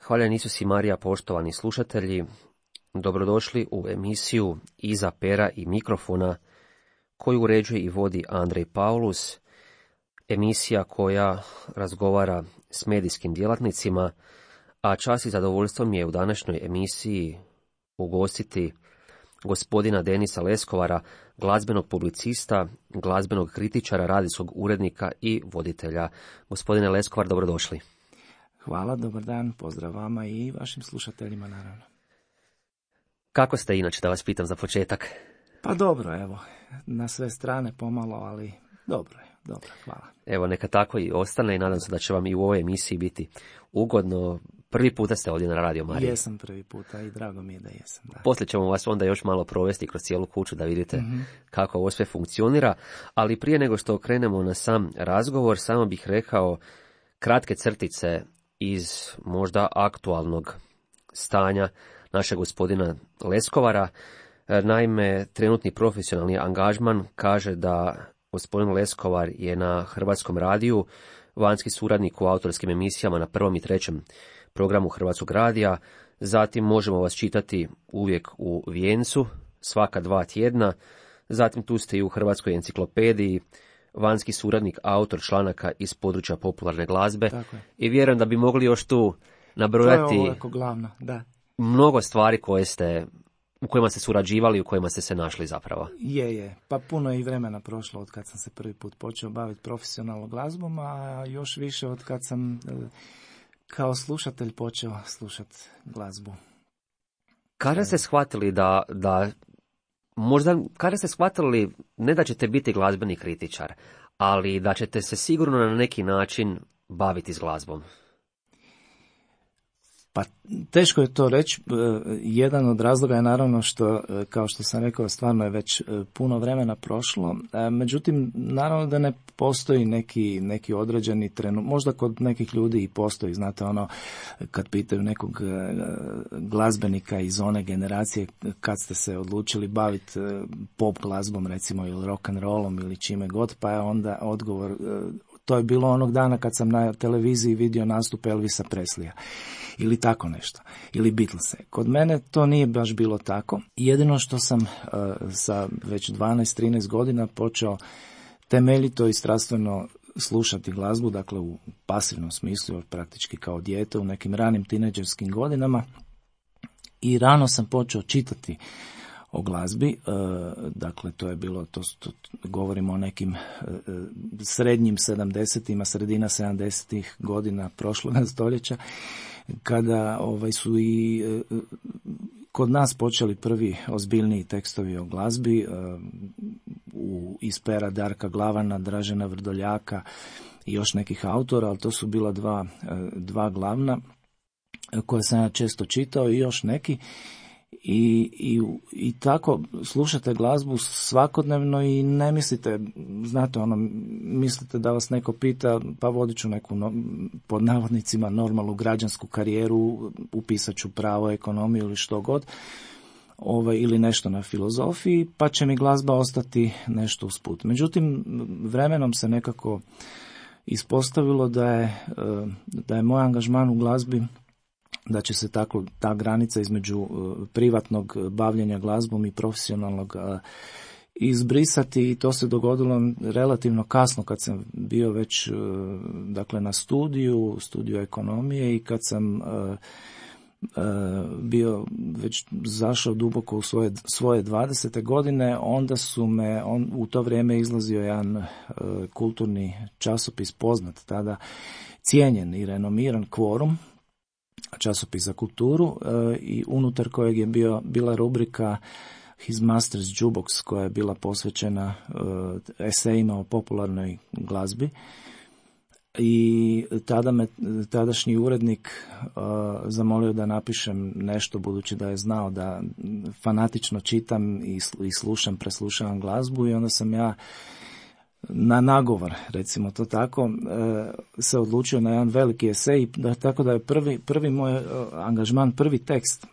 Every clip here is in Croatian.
Hvaljen Isus i Marija, poštovani slušatelji, dobrodošli u emisiju Iza pera i mikrofona, koju uređuje i vodi Andrej Paulus, emisija koja razgovara s medijskim djelatnicima, a čast i zadovoljstvo mi je u današnjoj emisiji ugostiti gospodina Denisa Leskovara, glazbenog publicista, glazbenog kritičara, radijskog urednika i voditelja. Gospodine Leskovar, dobrodošli. Hvala, dobar dan, pozdrav vama i vašim slušateljima, naravno. Kako ste inače, da vas pitam za početak? Pa dobro, evo, na sve strane pomalo, ali dobro, hvala. Evo, neka tako i ostane i nadam se da će vam i u ovoj emisiji biti ugodno. Prvi puta ste ovdje na Radio Mariji. Jesam prvi puta i drago mi je da jesam. Da. Poslije ćemo vas onda još malo provesti kroz cijelu kuću da vidite kako ovo sve funkcionira, ali prije nego što krenemo na sam razgovor, samo bih rekao kratke crtice iz možda aktualnog stanja našeg gospodina Leskovara. Naime, trenutni profesionalni angažman kaže da gospodin Leskovar je na Hrvatskom radiju vanjski suradnik u autorskim emisijama na 1. i 3. programu Hrvatskog radija. Zatim možemo vas čitati uvijek u Vijencu, svaka 2 tjedna. Zatim tu ste i u Hrvatskoj enciklopediji, vanjski suradnik, autor članaka iz područja popularne glazbe. I vjerujem da bi mogli još tu nabrojati glavno, da. Mnogo stvari u kojima ste surađivali, u kojima ste se našli zapravo. Je. Pa puno je i vremena prošlo od kad sam se prvi put počeo baviti profesionalnom glazbom, a još više od kad sam kao slušatelj počeo slušati glazbu. Kada ste shvatili kada ste shvatili ne da ćete biti glazbeni kritičar, ali da ćete se sigurno na neki način baviti s glazbom? Pa teško je to reći. Jedan od razloga je naravno što, kao što sam rekao, stvarno je već puno vremena prošlo. Međutim, naravno da ne postoji neki određeni trenutak. Možda kod nekih ljudi i postoji, znate, kad pitaju nekog glazbenika iz one generacije kad ste se odlučili baviti pop glazbom, recimo, ili rock and rollom ili čime god, pa je onda odgovor, to je bilo onog dana kad sam na televiziji vidio nastup Elvisa Presleya. Ili tako nešto, ili Beatlese. Kod mene to nije baš bilo tako. Jedino što sam sa već 12-13 godina počeo temeljito i strastveno slušati glazbu, dakle u pasivnom smislu, praktički kao dijete u nekim ranim tinejdžerskim godinama, i rano sam počeo čitati o glazbi, dakle to je bilo, to govorimo o nekim srednjim 70-ima, sredina 70-ih godina prošloga stoljeća, kada su i kod nas počeli prvi ozbiljniji tekstovi o glazbi iz pera Darka Glavana, Dražena Vrdoljaka i još nekih autora, ali to su bila dva glavna koje sam ja često čitao i još neki. I tako slušate glazbu svakodnevno i ne mislite, znate, mislite da vas neko pita, pa vodit ću neku pod navodnicima normalnu građansku karijeru, upisat ću pravo, ekonomiju ili što god, ili nešto na filozofiji, pa će mi glazba ostati nešto usput. Međutim, vremenom se nekako ispostavilo da je moj angažman u glazbi, da će se tako ta granica između privatnog bavljenja glazbom i profesionalnog izbrisati, i to se dogodilo relativno kasno kad sam bio već dakle na studiju ekonomije, i kad sam bio već zašao duboko u svoje 20. godine, onda u to vrijeme izlazio jedan kulturni časopis poznat, tada cijenjen i renomiran, Kvorum, časopis za kulturu, i unutar kojeg je bila rubrika His Master's Jukebox, koja je bila posvećena esejima o popularnoj glazbi. I tada me tadašnji urednik zamolio da napišem nešto, budući da je znao da fanatično čitam i preslušavam glazbu, i onda sam ja na nagovor, recimo to tako, se odlučio na jedan veliki esej, tako da je prvi moj angažman, prvi tekst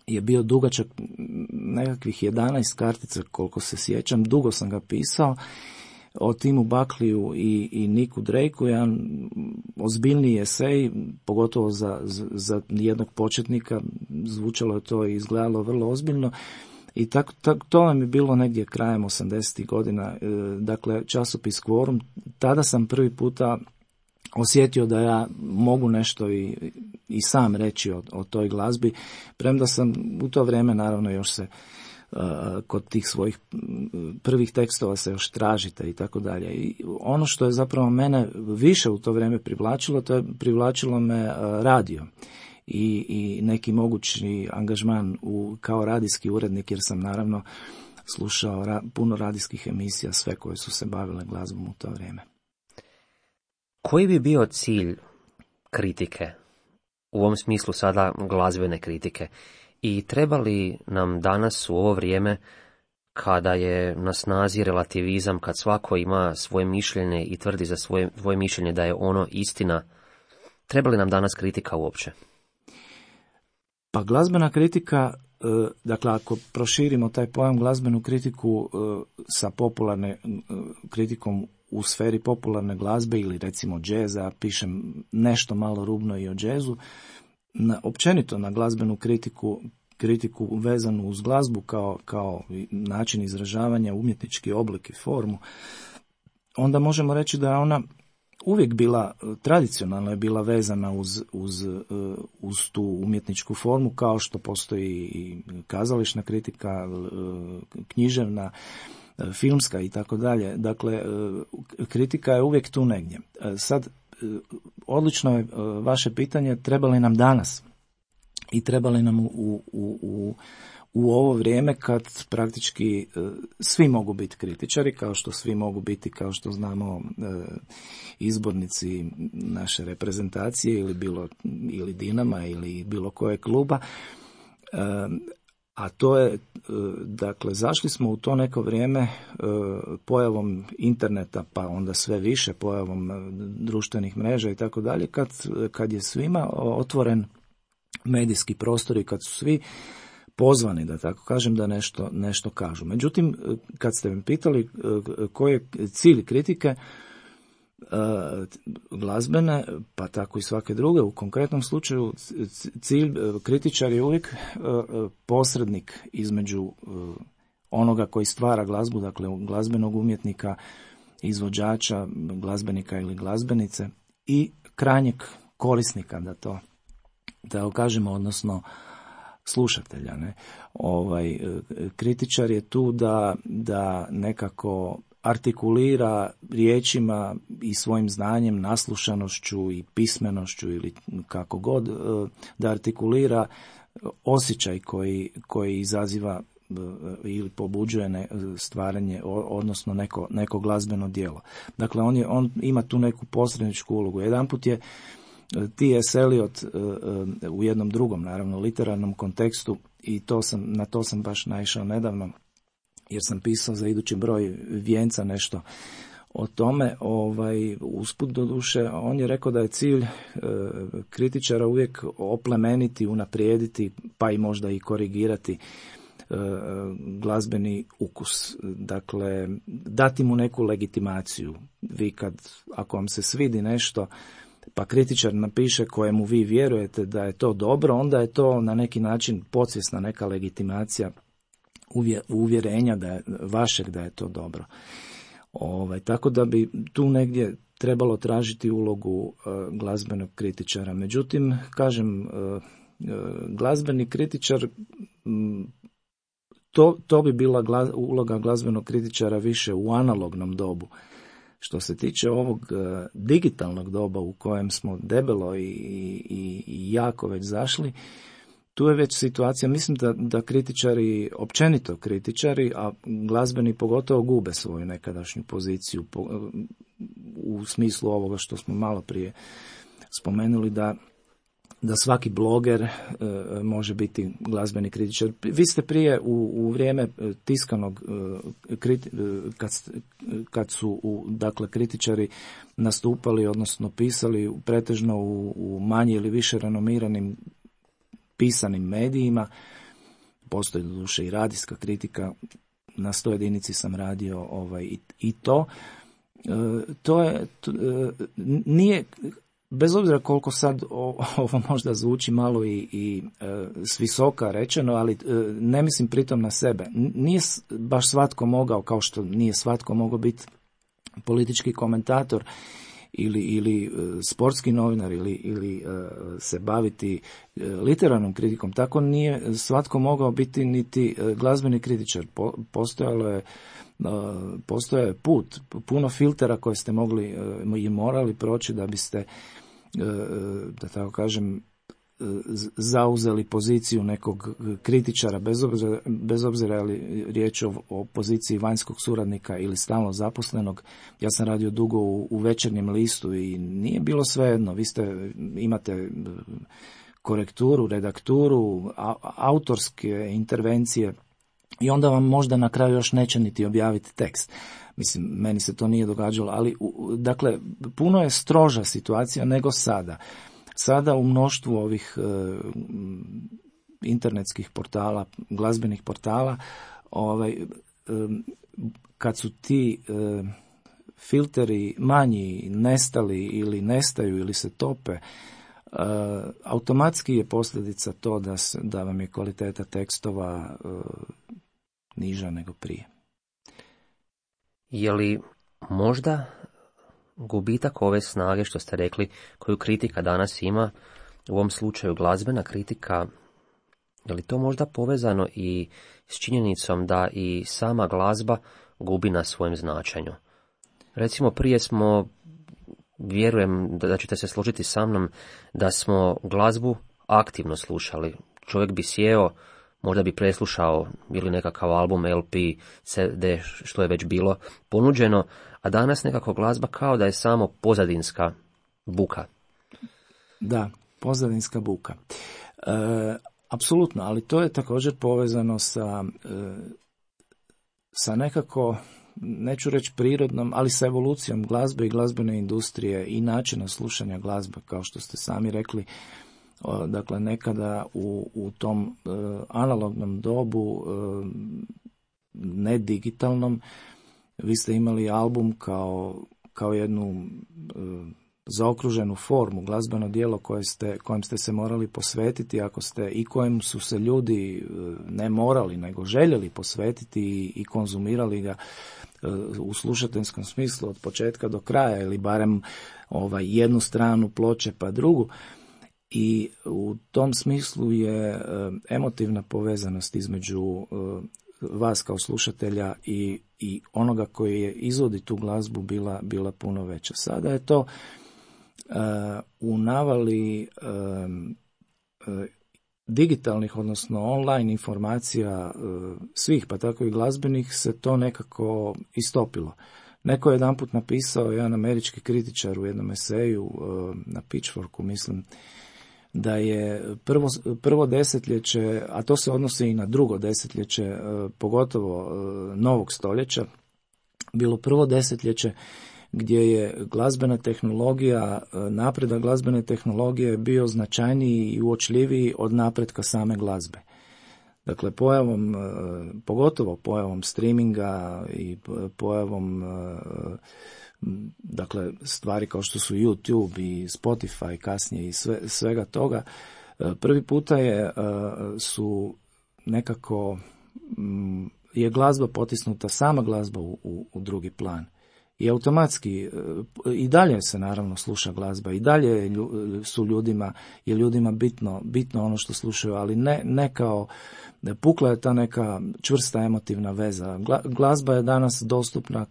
je bio dugačak nekakvih 11 kartica, koliko se sjećam, dugo sam ga pisao, o Timu Buckliju i Nicku Drakeu, jedan ozbiljniji esej, pogotovo za jednog početnika, zvučalo je to i izgledalo vrlo ozbiljno. I to vam je bilo negdje krajem 80. godina, dakle časopis Quorum. Tada sam prvi puta osjetio da ja mogu nešto i sam reći o toj glazbi, premda sam u to vrijeme naravno još se kod tih svojih prvih tekstova se još tražite i tako dalje. I ono što je zapravo mene više u to vrijeme privlačilo me radio i neki mogući angažman kao radijski urednik, jer sam naravno slušao puno radijskih emisija, sve koje su se bavile glazbom u to vrijeme. Koji bi bio cilj kritike, u ovom smislu sada glazbene kritike, i treba li nam danas u ovo vrijeme, kada je na snazi relativizam, kad svako ima svoje mišljenje i tvrdi za svoje mišljenje da je ono istina, treba li nam danas kritika uopće? Pa glazbena kritika, dakle ako proširimo taj pojam glazbenu kritiku sa popularne kritikom u sferi popularne glazbe ili recimo džeza, pišem nešto malo rubno i o džezu, općenito na glazbenu kritiku vezanu uz glazbu kao način izražavanja, umjetnički oblik i formu, onda možemo reći da je ona uvijek bila, tradicionalno je bila vezana uz tu umjetničku formu, kao što postoji i kazališna kritika, književna, filmska i tako dalje. Dakle, kritika je uvijek tu negdje. Sad, odlično je vaše pitanje, treba li nam danas i treba li nam u ovo vrijeme kad praktički svi mogu biti kritičari, kao što svi mogu biti, kao što znamo, izbornici naše reprezentacije ili Dinama ili bilo koje kluba. A to je, dakle, zašli smo u to neko vrijeme pojavom interneta, pa onda sve više pojavom društvenih mreža i tako dalje, kad je svima otvoren medijski prostor i kad su svi pozvani, da tako kažem, da nešto kažu. Međutim, kad ste me pitali koji je cilj kritike glazbene, pa tako i svake druge, u konkretnom slučaju cilj kritičar je uvijek posrednik između onoga koji stvara glazbu, dakle glazbenog umjetnika, izvođača, glazbenika ili glazbenice i krajnjeg korisnika, da kažemo, odnosno slušatelja. Ne? Kritičar je tu da nekako artikulira riječima i svojim znanjem, naslušanošću i pismenošću ili kako god, da artikulira osjećaj koji izaziva ili pobuđuje stvaranje, odnosno neko glazbeno djelo. Dakle, on ima tu neku posredničku ulogu. Jedanput je T.S. Eliot u jednom drugom, naravno, literarnom kontekstu, i na to sam baš naišao nedavno, jer sam pisao za idući broj Vijenca nešto o tome, usput doduše, on je rekao da je cilj kritičara uvijek oplemeniti, unaprijediti, pa i možda i korigirati glazbeni ukus. Dakle, dati mu neku legitimaciju. Vi ako vam se svidi nešto, pa kritičar napiše kojemu vi vjerujete da je to dobro, onda je to na neki način podsvjesna neka legitimacija uvjerenja da je to dobro. Tako da bi tu negdje trebalo tražiti ulogu glazbenog kritičara. Međutim, kažem, glazbeni kritičar, to bi bila uloga glazbenog kritičara više u analognom dobu. Što se tiče ovog digitalnog doba u kojem smo debelo i jako već zašli, tu je već situacija, mislim da kritičari, općenito kritičari, a glazbeni pogotovo, gube svoju nekadašnju poziciju u smislu ovoga što smo malo prije spomenuli, da svaki bloger može biti glazbeni kritičar. Vi ste prije u vrijeme tiskanog, kad su dakle kritičari nastupali, odnosno pisali pretežno u manje ili više renomiranim pisanim medijima, postoji doduše i radijska kritika, na 100 jedinici sam radio i to. nije, bez obzira koliko sad ovo možda zvuči malo i s visoka rečeno, ali ne mislim pritom na sebe. Nije baš svatko mogao, kao što nije svatko mogao biti politički komentator ili sportski novinar ili se baviti literarnom kritikom. Tako nije svatko mogao biti niti glazbeni kritičar. Postojao je put, puno filtera koje ste mogli i morali proći da biste, da tako kažem, zauzeli poziciju nekog kritičara, bez obzira je li riječ o poziciji vanjskog suradnika ili stalno zaposlenog. Ja sam radio dugo u Večernjem listu i nije bilo svejedno. Vi imate korekturu, redakturu, autorske intervencije i onda vam možda na kraju još neće niti objaviti tekst. Mislim, meni se to nije događalo, ali dakle, puno je stroža situacija nego sada. Sada u mnoštvu ovih internetskih portala, glazbenih portala, kad su ti filteri manji, nestali ili nestaju ili se tope, automatski je posljedica to da vam je kvaliteta tekstova niža nego prije. Je li možda gubitak ove snage, što ste rekli, koju kritika danas ima, u ovom slučaju glazbena kritika, je li to možda povezano i s činjenicom da i sama glazba gubi na svojem značenju? Recimo, prije smo, vjerujem da ćete se složiti sa mnom, da smo glazbu aktivno slušali. Čovjek bi sjeo, možda bi preslušao ili nekakav album, LP, CD, što je već bilo ponuđeno, a danas nekako glazba kao da je samo pozadinska buka. Da, pozadinska buka. Apsolutno, ali to je također povezano sa nekako, neću reći prirodnom, ali sa evolucijom glazbe i glazbene industrije i načina slušanja glazbe, kao što ste sami rekli. Dakle, nekada u tom analognom dobu, ne digitalnom, vi ste imali album kao jednu zaokruženu formu, glazbeno djelo kojem ste se morali posvetiti, i kojem su se ljudi ne morali, nego željeli posvetiti i konzumirali ga u slušateljskom smislu od početka do kraja, ili barem jednu stranu ploče pa drugu. I u tom smislu je emotivna povezanost između vas kao slušatelja i onoga koji je izvodi tu glazbu bila puno veća. Sada je to u navali digitalnih, odnosno online informacija svih, pa tako i glazbenih, se to nekako istopilo. Neko je jedanput napisao, jedan američki kritičar u jednom eseju na Pitchforku, mislim, da je prvo desetljeće, a to se odnosi i na drugo desetljeće, pogotovo novog stoljeća, bilo prvo desetljeće gdje je glazbena tehnologija, napredak glazbene tehnologije bio značajniji i uočljiviji od napretka same glazbe. Dakle, pogotovo pojavom streaminga i pojavom dakle, stvari kao što su YouTube i Spotify kasnije i svega toga, prvi puta su nekako je glazba potisnuta, sama glazba u drugi plan. I automatski, i dalje se naravno sluša glazba, i dalje je ljudima bitno ono što slušaju, ali ne kao, pukla je ta neka čvrsta emotivna veza. Glazba je danas dostupna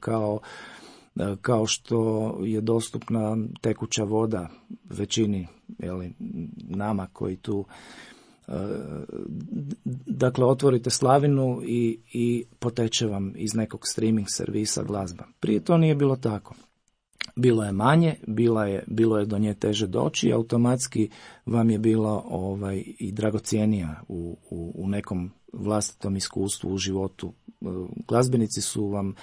kao što je dostupna tekuća voda većini, nama koji tu, dakle, otvorite slavinu i poteče vam iz nekog streaming servisa glazba. Prije to nije bilo tako. Bilo je manje, bilo je do nje teže doći i automatski vam je bilo i dragocjenija u nekom vlastitom iskustvu, u životu. Glazbenici su vam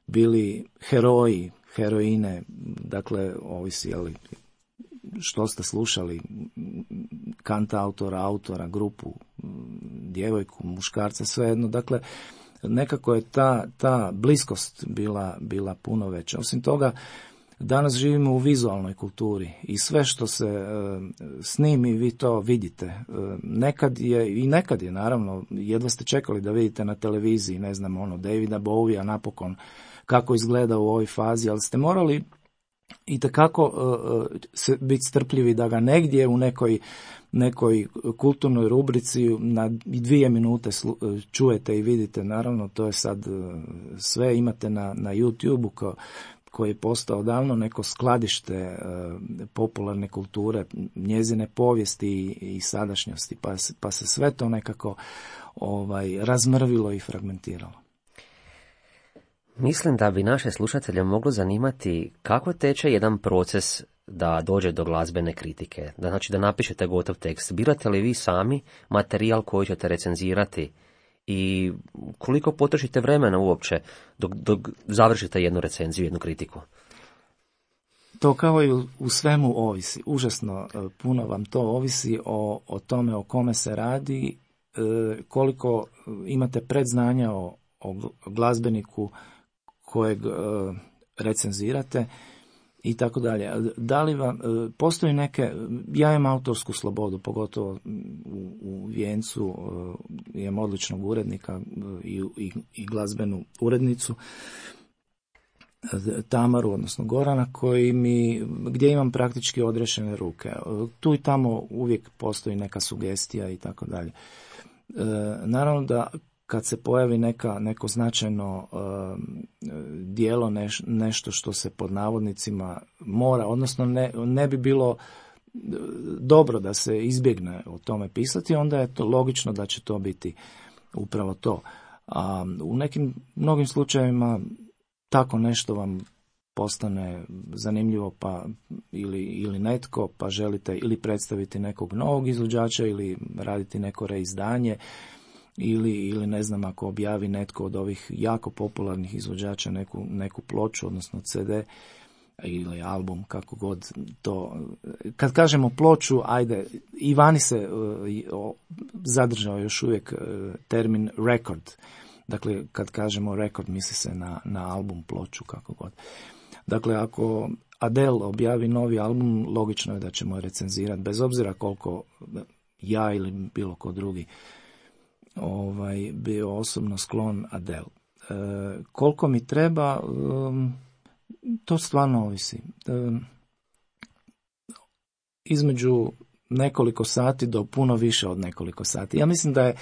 bili heroji, heroine, dakle, ovisi što ste slušali, kantautora, autora, grupu, djevojku, muškarca, svejedno. Dakle, nekako je ta bliskost bila puno veća. Osim toga, danas živimo u vizualnoj kulturi i sve što se snimi vi to vidite. Nekad je naravno, jedva ste čekali da vidite na televiziji, ne znam, Davida Bowija napokon kako izgleda u ovoj fazi, ali ste morali itekako biti strpljivi da ga negdje u nekoj kulturnoj rubrici na 2 minute čujete i vidite. Naravno, to je sad sve imate na YouTube-u koji je postao davno neko skladište popularne kulture, njezine povijesti i sadašnjosti, pa se sve to nekako razmrvilo i fragmentiralo. Mislim da bi naše slušatelje moglo zanimati kako teče jedan proces da dođe do glazbene kritike. Znači da napišete gotov tekst. Birate li vi sami materijal koji ćete recenzirati i koliko potrošite vremena uopće dok završite jednu recenziju, jednu kritiku? To kao i u svemu ovisi. Užasno puno vam to ovisi o tome o kome se radi, koliko imate predznanja o glazbeniku kojeg recenzirate i tako dalje. Da li vam postoji ja imam autorsku slobodu, pogotovo u Vijencu imam odličnog urednika i glazbenu urednicu Tamaru, odnosno Gorana, gdje imam praktički odrešene ruke. Tu i tamo uvijek postoji neka sugestija i tako dalje. Naravno da kad se pojavi neko značajno dijelo, nešto što se pod navodnicima mora, odnosno ne bi bilo dobro da se izbjegne o tome pisati, onda je to logično da će to biti upravo to. A u mnogim slučajevima tako nešto vam postane zanimljivo ili netko, pa želite ili predstaviti nekog novog izvođača ili raditi neko reizdanje, ili ne znam, ako objavi netko od ovih jako popularnih izvođača neku ploču, odnosno CD ili album, kako god to. Kad kažemo ploču, ajde, i vani se zadržao još uvijek termin record. Dakle, kad kažemo record, misli se na album, ploču, kako god. Dakle, ako Adele objavi novi album, logično je da ćemo recenzirati, bez obzira koliko ja ili bilo ko drugi bio osobno sklon Adele. Koliko mi treba, to stvarno ovisi. Između nekoliko sati do puno više od nekoliko sati. Ja mislim da je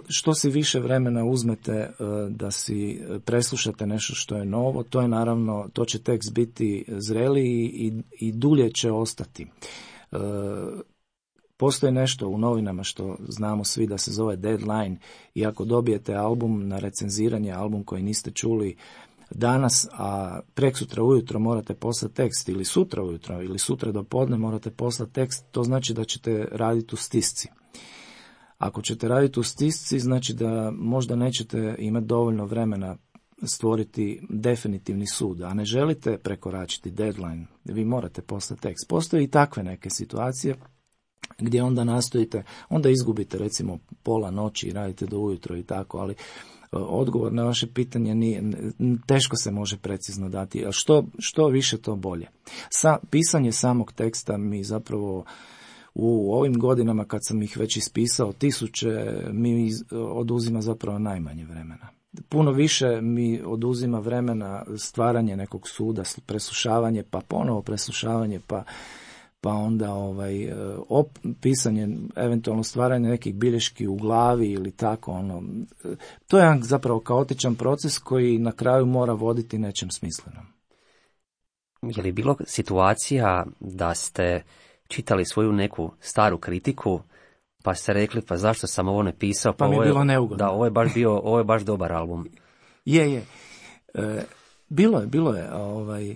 što si više vremena uzmete da si preslušate nešto što je novo, to je naravno, to će tekst biti zreliji i dulje će ostati. Postoji nešto u novinama što znamo svi da se zove deadline, i ako dobijete album na recenziranje, album koji niste čuli danas, a preksutra ujutro morate poslati tekst, ili sutra ujutro, ili sutra do podne morate poslati tekst, to znači da ćete raditi u stisci. Ako ćete raditi u stisci, znači da možda nećete imati dovoljno vremena stvoriti definitivni sud, a ne želite prekoračiti deadline, vi morate poslati tekst. Postoje i takve neke situacije gdje onda nastojite, onda izgubite recimo pola noći i radite do ujutro i tako, ali odgovor na vaše pitanje teško se može precizno dati, a što više to bolje. Pisanje samog teksta mi zapravo u ovim godinama kad sam ih već ispisao 1000, mi oduzima zapravo najmanje vremena. Puno više mi oduzima vremena stvaranje nekog suda, preslušavanje, pa ponovo preslušavanje, pa onda pisanje, eventualno stvaranje nekih bilješki u glavi ili tako. To je jedan zapravo kaotičan proces koji na kraju mora voditi nečem smislenom. Je li bilo situacija da ste čitali svoju neku staru kritiku, pa ste rekli, pa zašto sam ovo ne pisao? Pa mi je bilo neugodno. Da, ovo je baš dobar album. Je. Bilo je.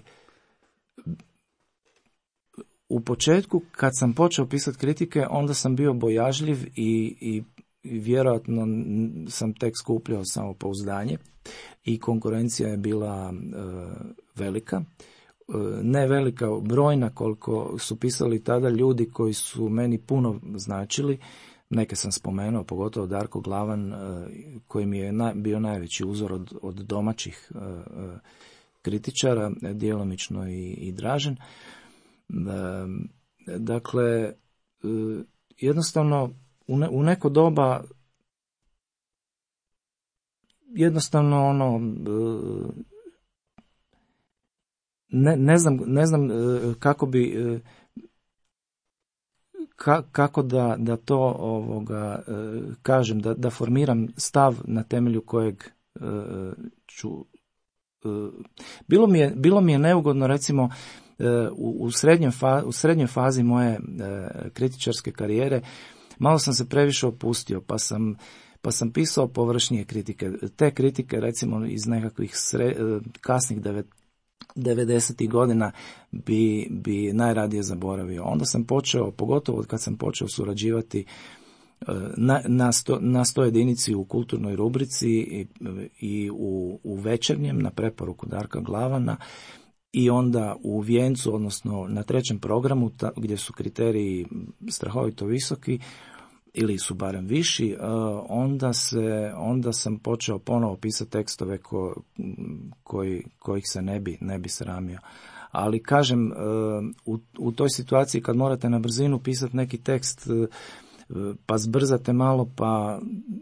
U početku, kad sam počeo pisati kritike, onda sam bio bojažljiv i vjerojatno sam tek skupljao samopouzdanje i konkurencija je bila velika. Ne velika, brojna koliko su pisali tada ljudi koji su meni puno značili. neke sam spomenuo, pogotovo Darko Glavan, koji mi je bio najveći uzor od domaćih kritičara, djelomično i Dražen. Dakle, jednostavno u neko doba jednostavno ne znam kako bi kako da to kažem, da formiram stav na temelju kojeg ću. Bilo mi je neugodno, recimo, u srednjoj fazi moje kritičarske karijere, malo sam se previše opustio, pa sam pisao površnije kritike. Te kritike, recimo, iz nekakvih kasnih 90. godina bi najradije zaboravio. Onda sam počeo, pogotovo kad sam počeo surađivati na 100 jedinici u kulturnoj rubrici i u Večernjem na preporuku Darka Glavana, i onda u Vijencu, odnosno na 3. programu gdje su kriteriji strahovito visoki ili su barem viši, onda sam počeo ponovo pisati tekstove kojih se ne bi sramio. Ali kažem, u toj situaciji kad morate na brzinu pisati neki tekst, pa zbrzate malo, pa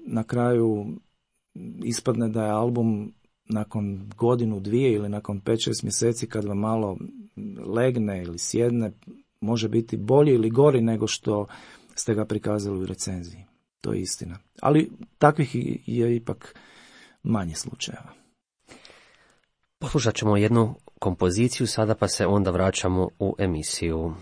na kraju ispadne da je album nakon godinu, dvije ili nakon 5-6 mjeseci, kad vam malo legne ili sjedne, može biti bolji ili gori nego što ste ga prikazali u recenziji. To je istina. Ali takvih je ipak manje slučajeva. Poslušat ćemo jednu kompoziciju sada, pa se onda vraćamo u emisiju.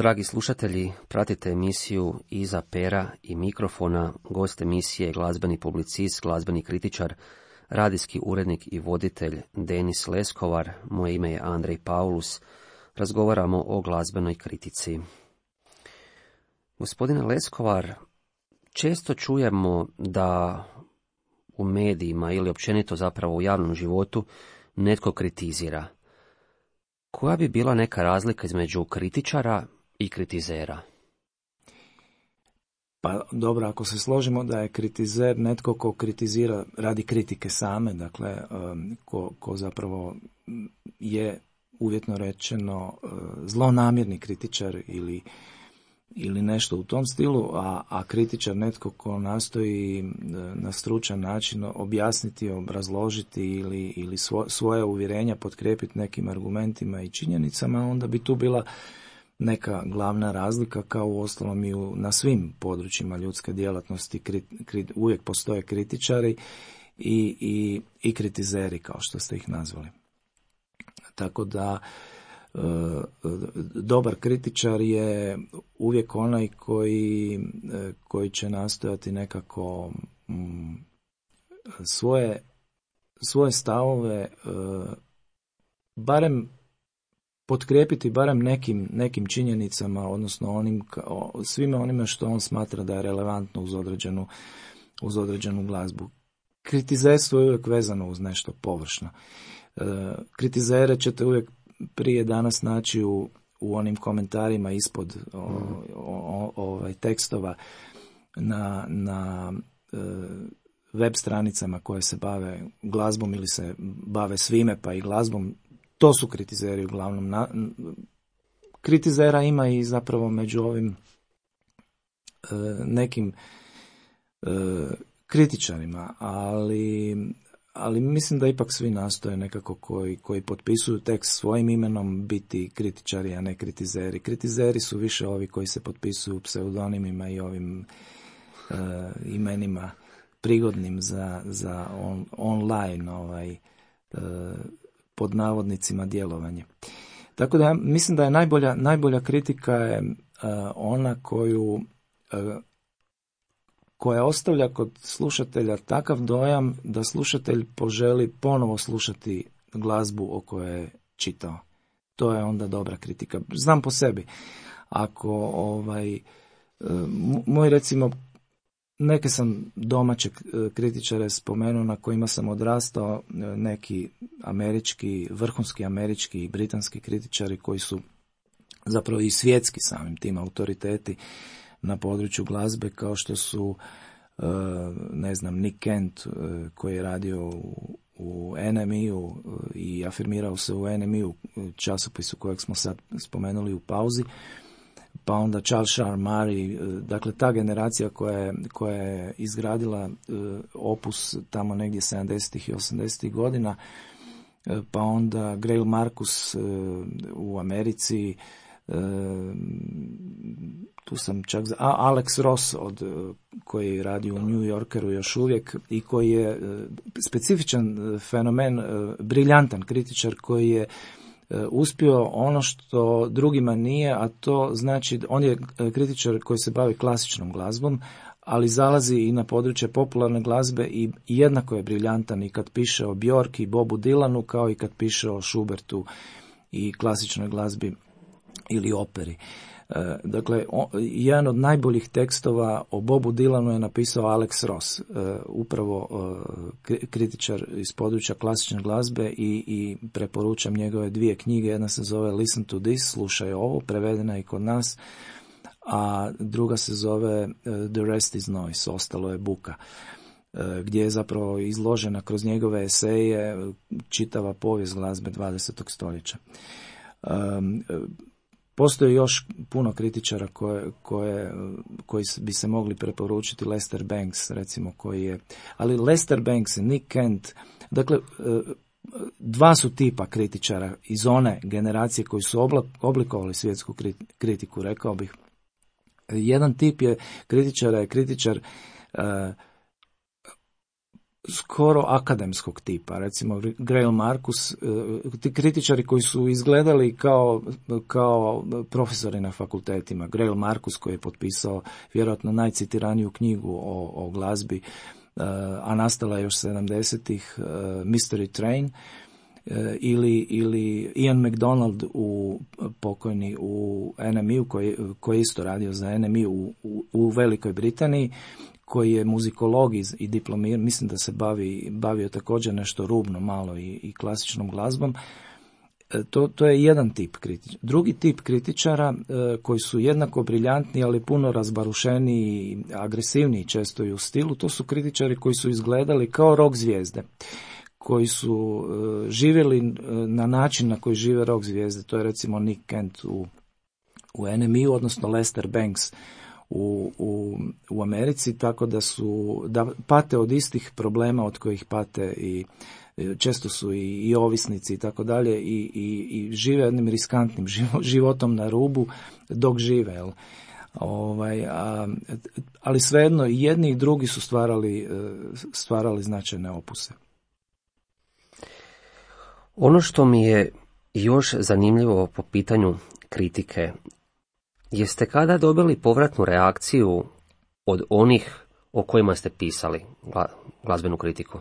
dragi slušatelji, pratite emisiju Iza pera i mikrofona. Gost emisije je glazbeni publicist, glazbeni kritičar, radijski urednik i voditelj Denis Leskovar. Moje ime je Andrej Paulus. Razgovaramo o glazbenoj kritici. Gospodine Leskovar, često čujemo da u medijima ili općenito zapravo u javnom životu netko kritizira. Koja bi bila neka razlika između kritičara i kritizera? Pa dobro, ako se složimo da je kritizer netko ko kritizira radi kritike same, dakle ko zapravo je uvjetno rečeno zlonamjerni kritičar ili nešto u tom stilu, a kritičar netko ko nastoji na stručan način objasniti, obrazložiti ili svoje uvjerenja potkrijepiti nekim argumentima i činjenicama, onda bi tu bila neka glavna razlika, kao uostalom i na svim područjima ljudske djelatnosti uvijek postoje kritičari i kritizeri, kao što ste ih nazvali. Tako da dobar kritičar je uvijek onaj koji će nastojati nekako svoje stavove barem potkrijepiti barem nekim činjenicama, odnosno svime onime što on smatra da je relevantno uz određenu glazbu. Kritizerstvo je uvijek vezano uz nešto površno. Kritizere ćete uvijek prije danas naći u onim komentarima ispod tekstova na web stranicama koje se bave glazbom ili se bave svime pa i glazbom. To su kritizeri uglavnom. Kritizera ima i zapravo među ovim nekim kritičarima, ali mislim da ipak svi nastoje nekako koji potpisuju tekst svojim imenom biti kritičari, a ne kritizeri. Kritizeri su više ovi koji se potpisuju pseudonimima i ovim imenima prigodnim za online pod navodnicima djelovanje. Tako da mislim da je najbolja kritika je ona koja ostavlja kod slušatelja takav dojam da slušatelj poželi ponovo slušati glazbu o kojoj je čitao. To je onda dobra kritika. Znam po sebi. Ako moj recimo neke sam domaće kritičare spomenuo na kojima sam odrastao, neki vrhunski američki i britanski kritičari koji su zapravo i svjetski samim tim autoriteti na području glazbe, kao što su Nick Kent koji je radio u NME-u i afirmirao se u NME-u, časopisu kojeg smo sad spomenuli u pauzi, pa onda Charles Murray, dakle ta generacija koja je izgradila opus tamo negdje 70. i 80. godina, pa onda Greil Marcus u Americi, tu sam čak Alex Ross koji radi u New Yorkeru još uvijek i koji je specifičan fenomen, briljantan kritičar koji je uspio ono što drugima nije, a to znači on je kritičar koji se bavi klasičnom glazbom, ali zalazi i na područje popularne glazbe i jednako je briljantan i kad piše o Bjork i Bobu Dylanu, kao i kad piše o Schubertu i klasičnoj glazbi ili operi. Dakle, jedan od najboljih tekstova o Bobu Dylanu je napisao Alex Ross, upravo kritičar iz područja klasične glazbe i preporučam njegove 2 knjige. Jedna se zove Listen to This, slušaj ovo, prevedena i kod nas, a druga se zove The Rest is Noise, ostalo je buka, gdje je zapravo izložena kroz njegove eseje čitava povijest glazbe 20. stoljeća. Postoji još puno kritičara koji bi se mogli preporučiti. Lester Bangs, recimo, ali Lester Banks i Nick Kent, dakle, 2 su tipa kritičara iz one generacije koji su oblikovali svjetsku kritiku, rekao bih. Jedan tip je kritičar skoro akademskog tipa, recimo Greil Marcus, ti kritičari koji su izgledali kao profesori na fakultetima. Greil Marcus koji je potpisao vjerojatno najcitiraniju knjigu o glazbi, a nastala je još 70-ih, Mystery Train, ili Ian MacDonald pokojni u NMI-u koji je isto radio za NMI u Velikoj Britaniji, koji je muzikolog i diplomir, mislim da se bavio također nešto rubno malo i klasičnom glazbom. To je jedan tip kritičara. Drugi tip kritičara koji su jednako briljantni, ali puno razbarušeniji i agresivniji često i u stilu, to su kritičari koji su izgledali kao rock zvijezde, koji su živjeli na način na koji žive rock zvijezde. To je recimo Nick Kent u NMI-u, odnosno Lester Banks u Americi, tako da pate od istih problema od kojih pate i često su i ovisnici i tako dalje i žive jednim riskantnim životom na rubu dok žive. Jel? Ali svejedno i jedni i drugi su stvarali značajne opuse. Ono što mi je još zanimljivo po pitanju kritike, jeste kada dobili povratnu reakciju od onih o kojima ste pisali glazbenu kritiku?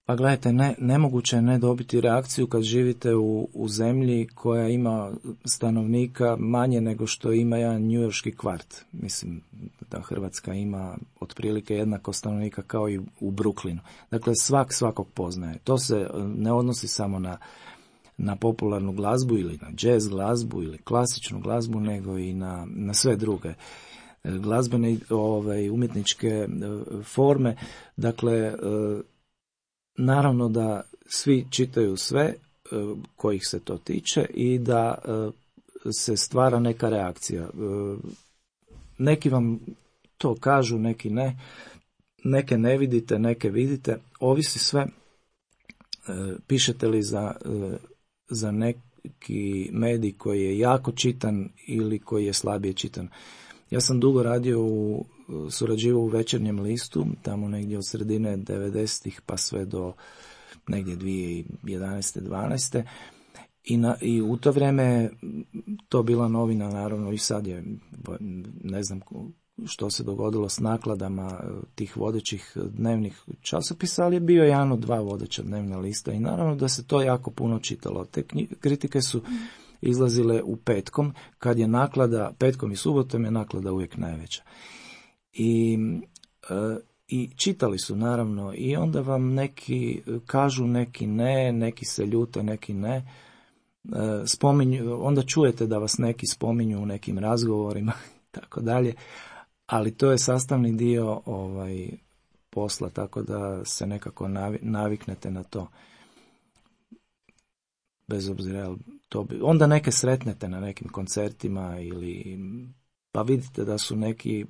Pa gledajte, nemoguće je ne dobiti reakciju kad živite u zemlji koja ima stanovnika manje nego što ima jedan njujorški kvart. Mislim da Hrvatska ima otprilike jednako stanovnika kao i u Brooklynu. Dakle, svakog poznaje. To se ne odnosi samo na popularnu glazbu ili na jazz glazbu ili klasičnu glazbu, nego i na sve druge glazbene umjetničke forme. Dakle, naravno da svi čitaju sve kojih se to tiče i da se stvara neka reakcija. Neki vam to kažu, neki ne. Neke ne vidite, neke vidite. Ovisi sve. Pišete li za neki medij koji je jako čitan ili koji je slabije čitan. Ja sam dugo surađivao u Večernjem listu, tamo negdje od sredine 90-ih pa sve do negdje 2011. 12. I u to vrijeme to bila novina, naravno, i sad je, ne znam što se dogodilo s nakladama tih vodećih dnevnih časopisa, ali je bio jedan od dva vodeća dnevna lista i naravno da se to jako puno čitalo. Te kritike su izlazile u petkom, kad je naklada, petkom i subotom je naklada uvijek najveća. I čitali su naravno i onda vam neki kažu, neki ne, neki se ljute, neki ne. Onda čujete da vas neki spominju u nekim razgovorima i tako dalje, ali to je sastavni dio posla, tako da se nekako naviknete na to. Bez obzira, onda neke sretnete na nekim koncertima ili pa vidite da su neki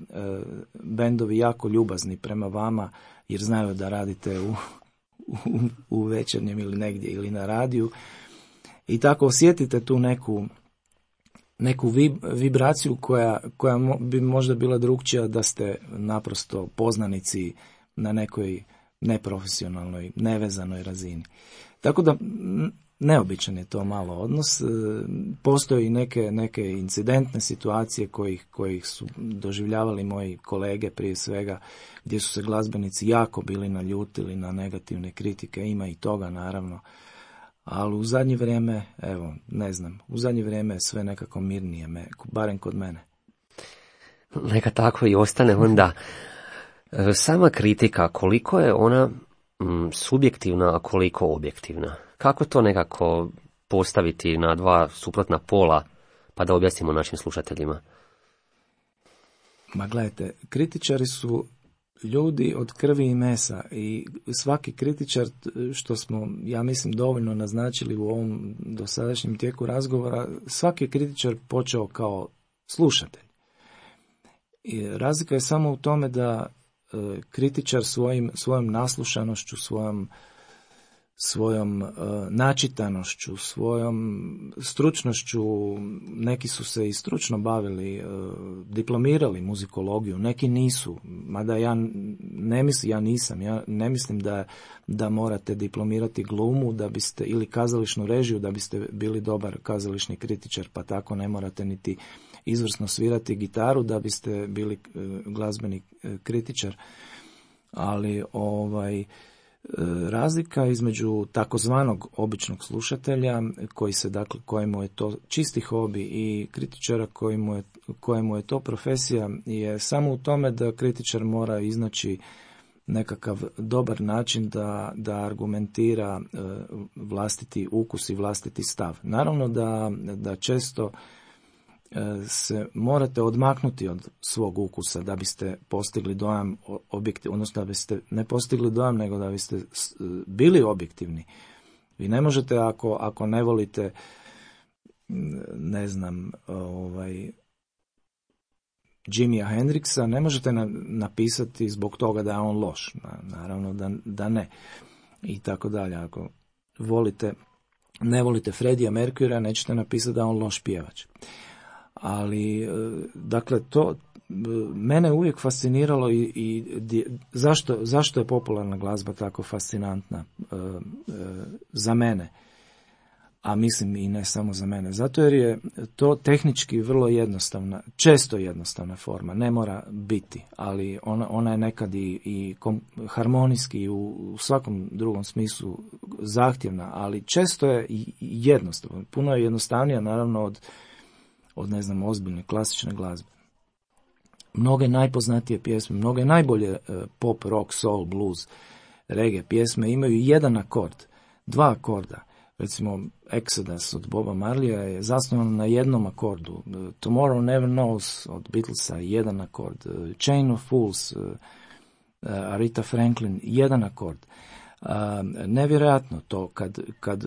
bendovi jako ljubazni prema vama jer znaju da radite u Večernjem ili negdje ili na radiju i tako osjetite tu neku vibraciju koja bi možda bila drukčija da ste naprosto poznanici na nekoj neprofesionalnoj, nevezanoj razini. Tako da neobičan je to malo odnos. Postoje i neke incidentne situacije kojih su doživljavali moji kolege prije svega, gdje su se glazbenici jako bili naljutili na negativne kritike. Ima i toga naravno. Ali u zadnje vrijeme, u zadnje vrijeme je sve nekako mirnije, barem kod mene. Neka tako i ostane onda. Sama kritika, koliko je ona subjektivna, a koliko objektivna? Kako to nekako postaviti na dva suprotna pola, pa da objasnimo našim slušateljima? Ma gledajte, kritičari su ljudi od krvi i mesa i svaki kritičar, što smo, ja mislim, dovoljno naznačili u ovom dosadašnjem tijeku razgovora, svaki kritičar počeo kao slušatelj. I razlika je samo u tome da kritičar svojom naslušanošću, svojom načitanošću, svojom stručnošću. Neki su se i stručno bavili, diplomirali muzikologiju, neki nisu, mada ja ne mislim da morate diplomirati glumu da biste, ili kazališnu režiju da biste bili dobar kazališni kritičar, pa tako ne morate niti izvrsno svirati gitaru da biste bili glazbeni kritičar, ali razlika između takozvanog običnog slušatelja kojemu je to čisti hobi i kritičara kojemu je to profesija je samo u tome da kritičar mora iznaći nekakav dobar način da argumentira vlastiti ukus i vlastiti stav. Naravno da često se morate odmaknuti od svog ukusa da biste postigli dojam objektivno, odnosno da biste ne postigli dojam, nego da biste bili objektivni. Vi ne možete ako ne volite, ne znam, Jimija Hendrixa, ne možete napisati zbog toga da je on loš. Naravno da ne. I tako dalje. Ako ne volite Freddija Mercuryja, nećete napisati da je on loš pjevač. Ali, dakle, to mene uvijek fasciniralo i zašto je popularna glazba tako fascinantna za mene, a mislim i ne samo za mene. Zato jer je to tehnički vrlo jednostavna, često jednostavna forma, ne mora biti, ali ona je nekad i harmonijski i u svakom drugom smislu zahtjevna, ali često je i jednostavna. Puno je jednostavnija, naravno, od ne znam, ozbiljne klasične glazbe. Mnoge najpoznatije pjesme, mnoge najbolje pop, rock, soul, blues, reggae pjesme imaju jedan akord, dva akorda. Recimo Exodus od Boba Marleya je zasnovan na jednom akordu. Tomorrow Never Knows od Beatlesa jedan akord. Chain of Fools, Aretha Franklin, jedan akord. Nevjerojatno to kad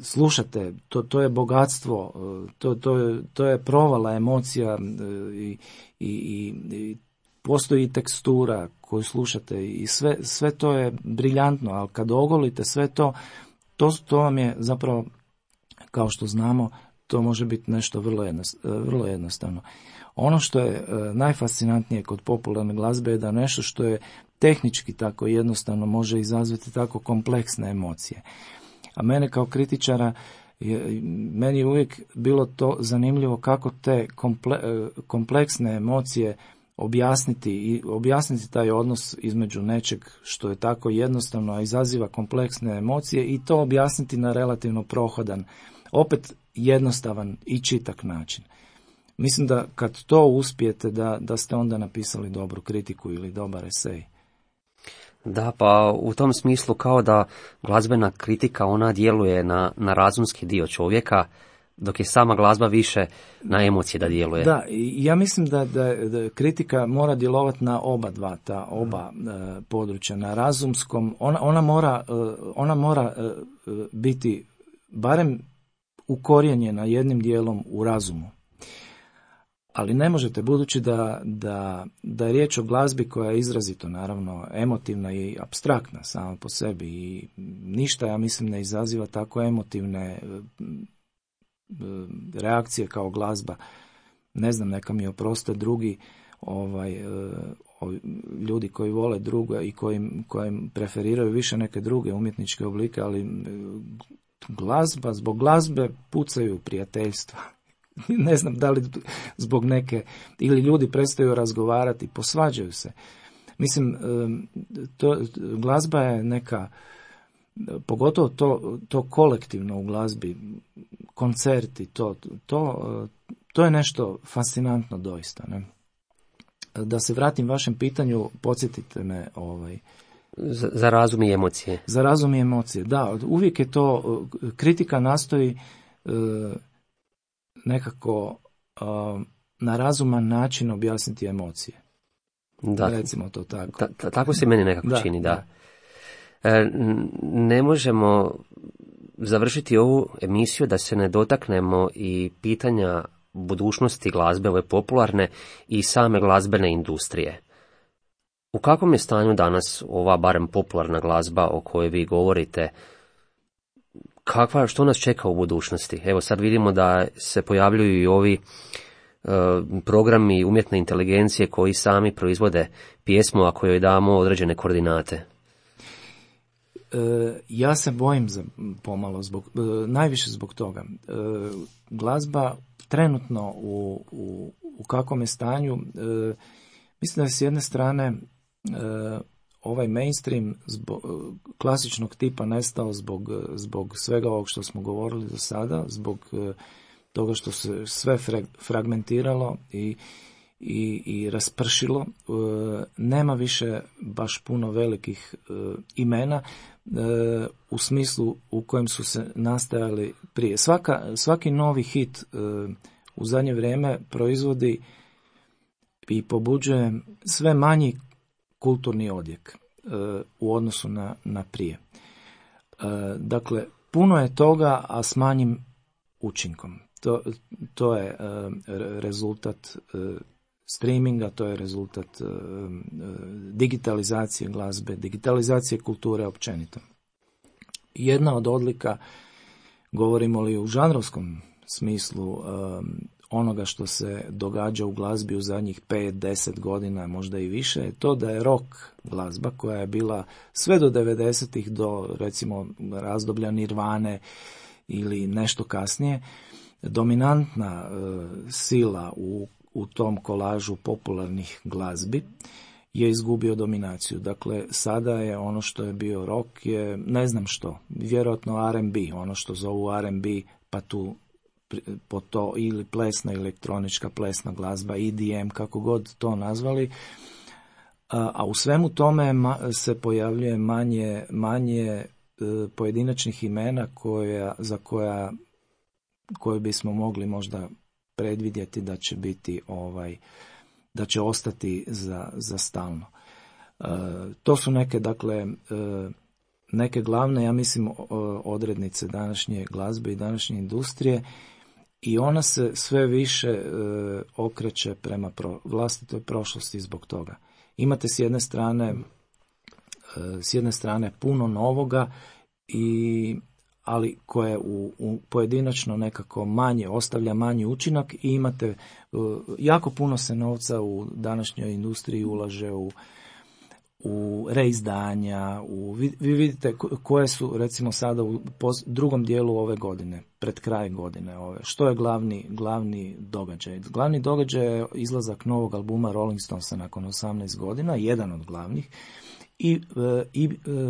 slušate, to je bogatstvo, to je provala emocija i postoji tekstura koju slušate i sve to je briljantno, ali kad ogolite sve to vam je zapravo, kao što znamo, to može biti nešto vrlo jednostavno. Ono što je najfascinantnije kod popularne glazbe je da nešto što je tehnički tako jednostavno može izazvati tako kompleksne emocije. A mene kao kritičara, meni je uvijek bilo to zanimljivo kako te kompleksne emocije objasniti taj odnos između nečeg što je tako jednostavno, a izaziva kompleksne emocije, i to objasniti na relativno prohodan, opet jednostavan i čitak način. Mislim da kad to uspijete, da ste onda napisali dobru kritiku ili dobar esej. Da, pa u tom smislu kao da glazbena kritika, ona djeluje na razumski dio čovjeka, dok je sama glazba više na emocije da djeluje. Da, ja mislim da kritika mora djelovati na oba područja, na razumskom. Ona mora biti barem ukorijenjena jednim dijelom u razumu. Ali ne možete, budući da je riječ o glazbi koja je izrazito, naravno, emotivna i apstraktna sama po sebi, i ništa, ja mislim, ne izaziva tako emotivne reakcije kao glazba. Ne znam, neka mi oproste drugi ljudi koji vole druga i koji preferiraju više neke druge umjetničke oblike, ali zbog glazbe pucaju prijateljstva. Ne znam da li zbog neke, ili ljudi prestaju razgovarati, posvađaju se. Mislim, glazba je neka, pogotovo to kolektivno u glazbi, koncerti, to je nešto fascinantno doista. Ne? Da se vratim vašem pitanju, podsjetite me. Za razum i emocije. Za razum i emocije, da. Uvijek je to, kritika nastoji nekako na razuman način objasniti emocije. Da. Recimo to tako. Tako se meni nekako čini, da. Ne možemo završiti ovu emisiju da se ne dotaknemo i pitanja budućnosti glazbe, ove popularne, i same glazbene industrije. U kakvom je stanju danas ova barem popularna glazba o kojoj vi govorite? Što nas čeka u budućnosti? Evo sad vidimo da se pojavljuju i ovi programi umjetne inteligencije koji sami proizvode pjesmu, a kojoj damo određene koordinate. Ja se bojim pomalo, najviše zbog toga. Glazba trenutno u kakvom je stanju, mislim da je s jedne strane ovaj mainstream klasičnog tipa nestao zbog svega ovog što smo govorili do sada, zbog toga što se sve fragmentiralo i raspršilo. Nema više baš puno velikih imena u smislu u kojem su se nastajali prije. Svaki novi hit u zadnje vrijeme proizvodi i pobuđuje sve manji kulturni odjek u odnosu na prije. Dakle, puno je toga, a s manjim učinkom. To je rezultat streaminga, to je rezultat digitalizacije glazbe, digitalizacije kulture općenito. Jedna od odlika, govorimo li u žanrovskom smislu, onoga što se događa u glazbi u zadnjih 5-10 godina, možda i više, je to da je rock glazba, koja je bila sve do 90-ih, do recimo razdoblja Nirvane ili nešto kasnije, dominantna sila u tom kolažu popularnih glazbi, je izgubio dominaciju. Dakle, sada je ono što je bio rock je ne znam što, vjerojatno R&B, ono što zovu R&B, pa tu po to ili plesna, elektronička plesna glazba, EDM, kako god to nazvali, a u svemu tome se pojavljuje manje pojedinačnih imena koje bismo mogli možda predvidjeti da će biti da će ostati za stalno. To su neke glavne, ja mislim, odrednice današnje glazbe i današnje industrije, i ona se sve više okreće prema vlastitoj prošlosti zbog toga. Imate s jedne strane puno novoga, ali koje u pojedinačno nekako manje, ostavlja manji učinak, i imate jako puno se novca u današnjoj industriji ulaže u reizdanja, vi vidite koje su recimo sada u drugom dijelu ove godine, pred kraj godine što je glavni događaj. Glavni događaj je izlazak novog albuma Rolling Stonesa nakon 18 godina, jedan od glavnih, i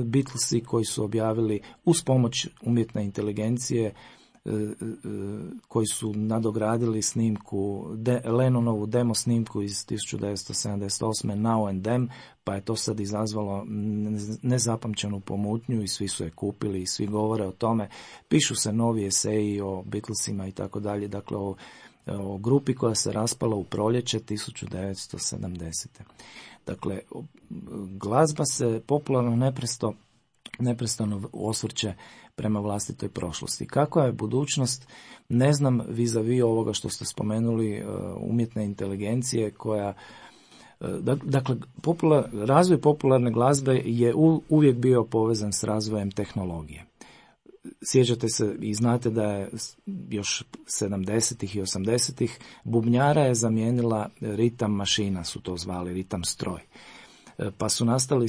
Beatlesi koji su objavili uz pomoć umjetne inteligencije, koji su nadogradili snimku, Lennonovu demo snimku iz 1978. Now and Them, pa je to sad izazvalo nezapamćenu pomutnju i svi su je kupili i svi govore o tome. Pišu se novi eseji o Beatlesima i tako dalje, dakle o grupi koja se raspala u proljeće 1970. Dakle, glazba se popularno neprestano osvrće prema vlastitoj prošlosti. Kakva je budućnost, ne znam, vis-a-vis ovoga što ste spomenuli, umjetne inteligencije koja... Dakle, razvoj popularne glazbe je uvijek bio povezan s razvojem tehnologije. Sjećate se i znate da je još 70-ih i 80-ih bubnjara je zamijenila ritam mašina, su to zvali, ritam stroj. Pa su nastali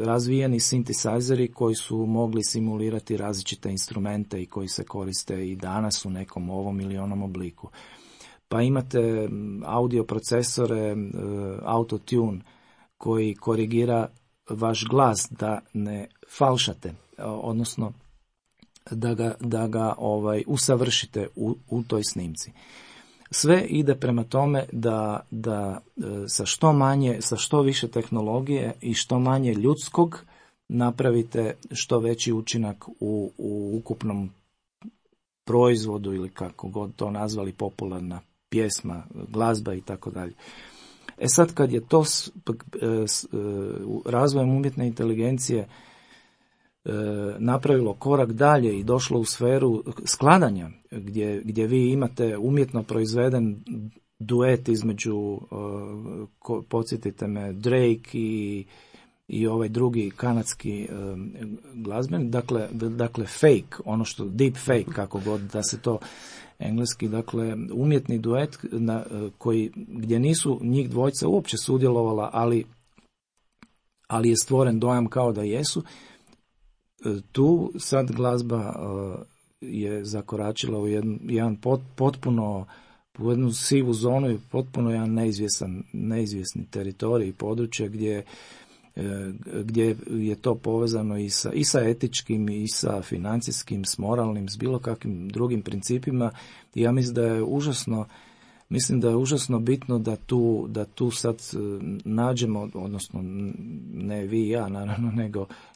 razvijeni sintisajzeri koji su mogli simulirati različite instrumente i koji se koriste i danas u nekom ovom ili onom obliku. Pa imate audio procesore, autotune, koji korigira vaš glas da ne falšate, odnosno da ga usavršite u toj snimci. Sve ide prema tome da sa što više tehnologije i što manje ljudskog napravite što veći učinak u ukupnom proizvodu, ili kako god to nazvali, popularna pjesma, glazba i tako dalje. Sad kad je to razvojem umjetne inteligencije napravilo korak dalje i došlo u sferu skladanja, gdje vi imate umjetno proizveden duet između, podsjetite me, Drake i ovaj drugi kanadski glazbenik, dakle fake, ono što deep fake, kako god da se to engleski, dakle umjetni duet gdje nisu njih dvojica uopće sudjelovala, ali je stvoren dojam kao da jesu. Tu sad glazba je zakoračila u jedan potpuno, u jednu sivu zonu i potpuno jedan neizvjesni teritorij i područje gdje je to povezano i sa etičkim, i sa financijskim, s moralnim, s bilo kakvim drugim principima. I ja mislim da je užasno bitno da tu sad nađemo, odnosno ne vi i ja naravno,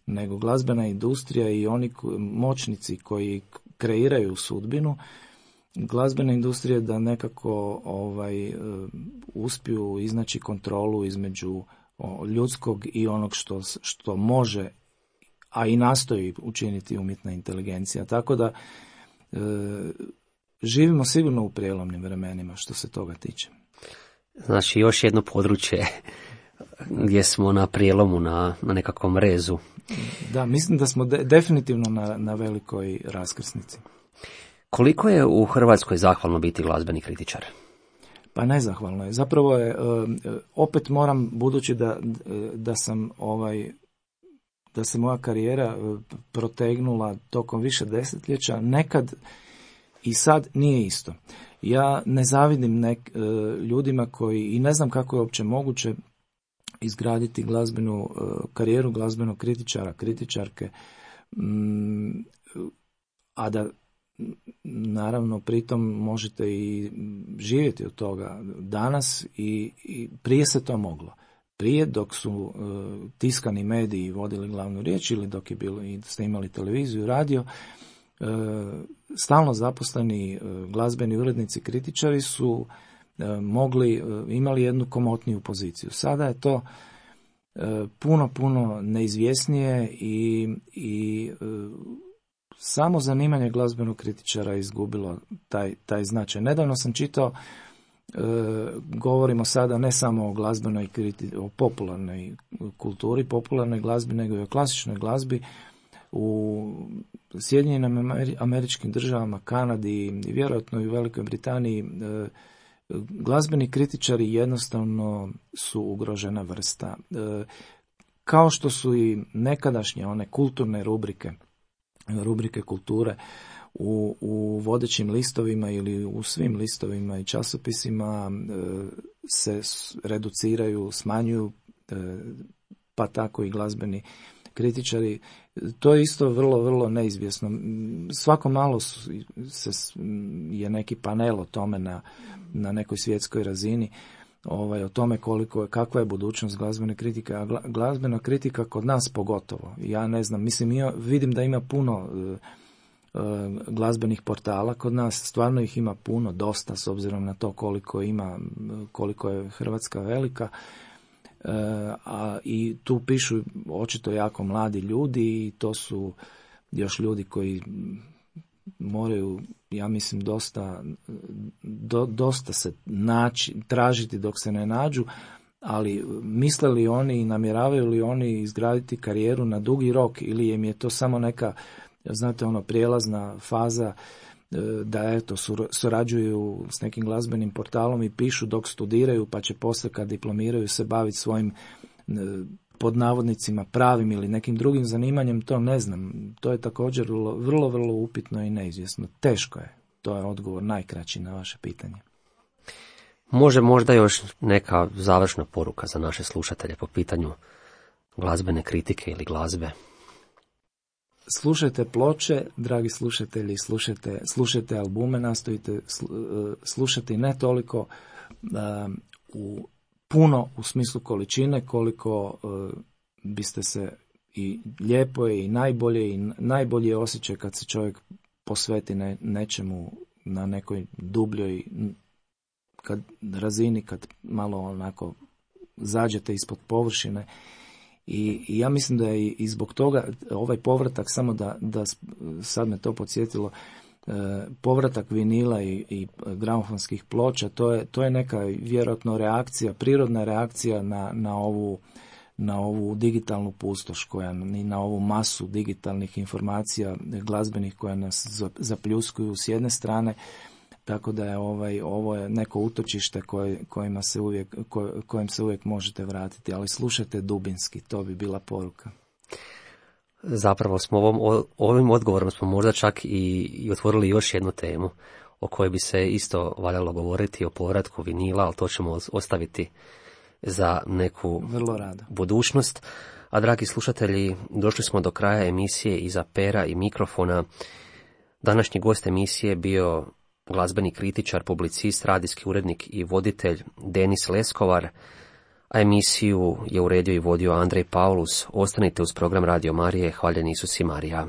nego glazbena industrija i oni moćnici koji kreiraju sudbinu glazbene industrije, da nekako uspiju iznaći kontrolu između ljudskog i onog što može, a i nastoji učiniti umjetna inteligencija. Tako da živimo sigurno u prijelomnim vremenima što se toga tiče. Znači još jedno područje gdje smo na prijelomu, na nekakvom rezu. Da, mislim da smo definitivno na velikoj raskrsnici. Koliko je u Hrvatskoj zahvalno biti glazbeni kritičar? Pa nezahvalno je. Zapravo je, opet moram, budući da se moja karijera protegnula tokom više desetljeća, nekad i sad nije isto. Ja ne zavidim ljudima koji, i ne znam kako je uopće moguće izgraditi glazbenu karijeru glazbenog kritičara, kritičarke, a da naravno pritom možete i živjeti od toga danas i prije se to moglo. Prije, dok su tiskani mediji vodili glavnu riječ ili dok ste imali televiziju, radio, stalno zaposleni glazbeni urednici, kritičari su imali jednu komotniju poziciju. Sada je to puno neizvjesnije i samo zanimanje glazbenog kritičara izgubilo taj značaj. Nedavno sam čitao, govorimo sada ne samo o glazbenoj o popularnoj kulturi, popularnoj glazbi, nego i o klasičnoj glazbi. U Sjedinjenim Američkim Državama, Kanadi i vjerojatno i u Velikoj Britaniji glazbeni kritičari jednostavno su ugrožena vrsta. Kao što su i nekadašnje one kulturne rubrike kulture u vodećim listovima ili u svim listovima i časopisima se reduciraju, smanjuju, pa tako i glazbeni kritičari. To je isto vrlo neizvjesno. Svako malo je neki panel o tome na nekoj svjetskoj razini, o tome kakva je budućnost glazbene kritike, a glazbena kritika kod nas pogotovo. Ja ne znam, vidim da ima puno glazbenih portala kod nas, stvarno ih ima puno, dosta, s obzirom na to koliko je Hrvatska velika. I tu pišu očito jako mladi ljudi i to su još ljudi koji moraju, ja mislim, dosta se tražiti dok se ne nađu, ali misle li oni i namjeravaju li oni izgraditi karijeru na dugi rok ili im je to samo neka, znate, prijelazna faza da eto surađuju s nekim glazbenim portalom i pišu dok studiraju, pa će poslije kad diplomiraju se baviti svojim pod navodnicima pravim ili nekim drugim zanimanjem, to ne znam. To je također vrlo upitno i neizvjesno. Teško je. To je odgovor najkraći na vaše pitanje. Može možda još neka završna poruka za naše slušatelje po pitanju glazbene kritike ili glazbe? Slušajte ploče, dragi slušatelji, slušajte albume, nastojite slušati ne toliko puno u smislu količine, koliko biste se, i lijepo je i najbolji je osjećaj kad se čovjek posveti nečemu na nekoj dubljoj razini, kad malo onako zađete ispod površine. I ja mislim da je i zbog toga ovaj povratak, samo da sad me to podsjetilo, povratak vinila i gramofonskih ploča, to je neka vjerojatno reakcija, prirodna reakcija na ovu digitalnu pustoš i na ovu masu digitalnih informacija glazbenih koja nas zapljuskuju s jedne strane, tako da je ovo je neko utočište kojem se uvijek možete vratiti, ali slušajte dubinski, to bi bila poruka. Zapravo smo ovim odgovorom smo možda čak i otvorili još jednu temu o kojoj bi se isto valjalo govoriti, o povratku vinila, ali to ćemo ostaviti za neku budućnost. A dragi slušatelji, došli smo do kraja emisije iza pera i mikrofona. Današnji gost emisije bio glazbeni kritičar, publicist, radijski urednik i voditelj Denis Leskovar, a emisiju je uredio i vodio Andrej Paulus. Ostanite uz program Radio Marije. Hvaljen Isus i Marija.